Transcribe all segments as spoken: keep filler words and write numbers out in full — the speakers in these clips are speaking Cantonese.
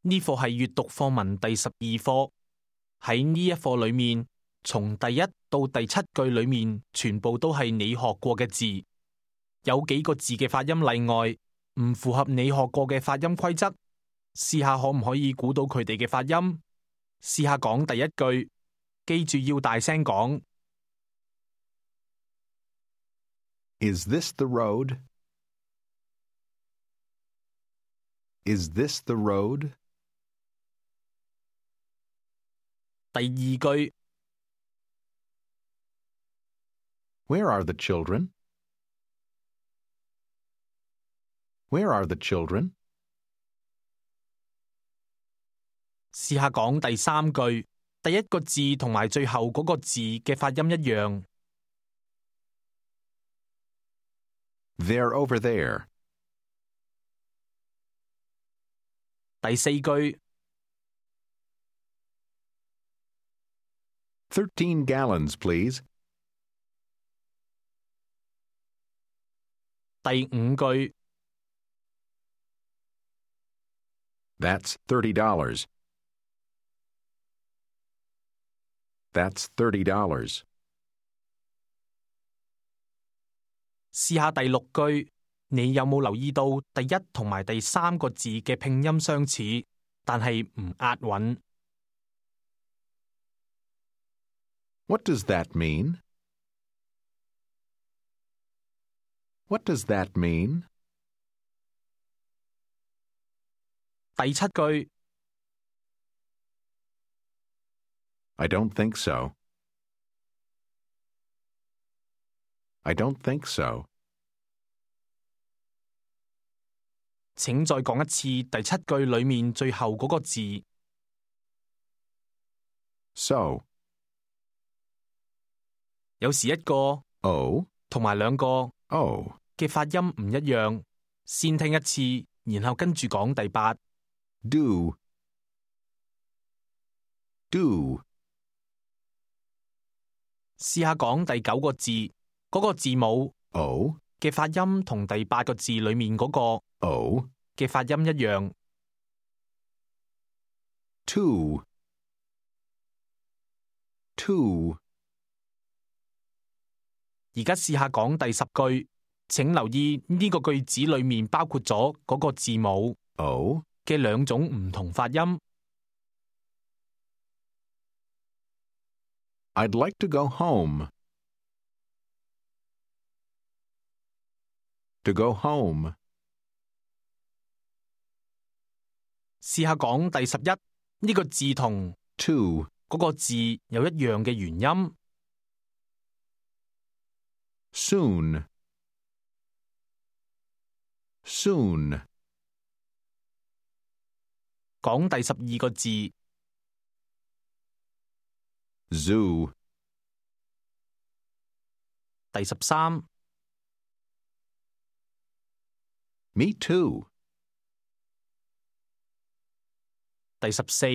呢課係閱讀課文第十二課。喺呢一課裏面，從第一到第七句裏面，全部都係你學過嘅字。有幾個字嘅發音例外，唔符合你學過嘅發音規則。試下可唔可以估到佢哋嘅發音？試下講第一句，記住要大聲講。Is this the road? Is this the road? 第二句 Where are the children? Where are the children? 試下講第三句，第一個字同埋最後嗰個字嘅發音一樣。They're over there. 第四句 Thirteen gallons, please. 第五句 That's thirty dollars. That's thirty dollars. 試下第六句，你有冇留意到第一同埋第三個字嘅拼音相似，但係唔押韻？ What does that mean? What does that mean? 第七句 I don't think so. I don't think so. 請再講一次第七句裏面最後嗰個字。So. 有時一個 O 同埋兩個 O 嘅發音唔一樣，先聽一次，然後跟住講第八。Do. Do. 試下講第九個字，嗰、那個字母 O 嘅發音同第八個字裏面嗰個 O 嘅發音一樣。Two. Two. 而家試下講第十句，請留意呢個句子裏面包括咗嗰個字母 O 嘅兩種唔同發音。I'd like to go home. To go home. 試下講第十一，呢個字同 To 嗰個字有一樣嘅元音。Soon. Soon. 講第十二個字 Zoo. 第十三 Me too. 第十四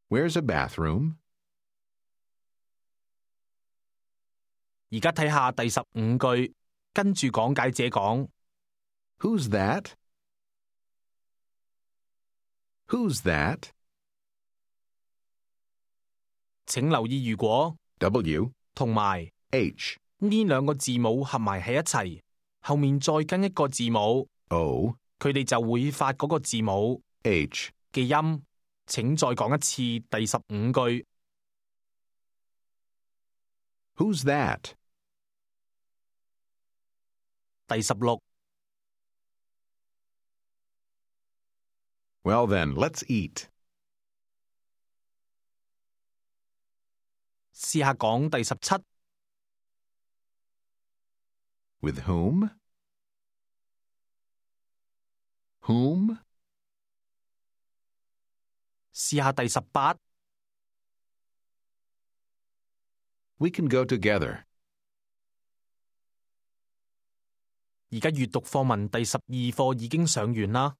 Where's a bathroom? 而家睇下第十五句，跟住講解者講。Who's that? Who's that? 請留意，如果 W 同埋 H 呢兩個字母合埋喺一齊，後面再跟一個字母 O 佢哋就會發嗰個字母 H 嘅音。請再講一次第十五句。Who's that? 第十六 Well then, let's eat. 試下講第十七。With whom? Whom? 試下第十八。We can go together. 而家閱讀課文第十二課已經上完啦。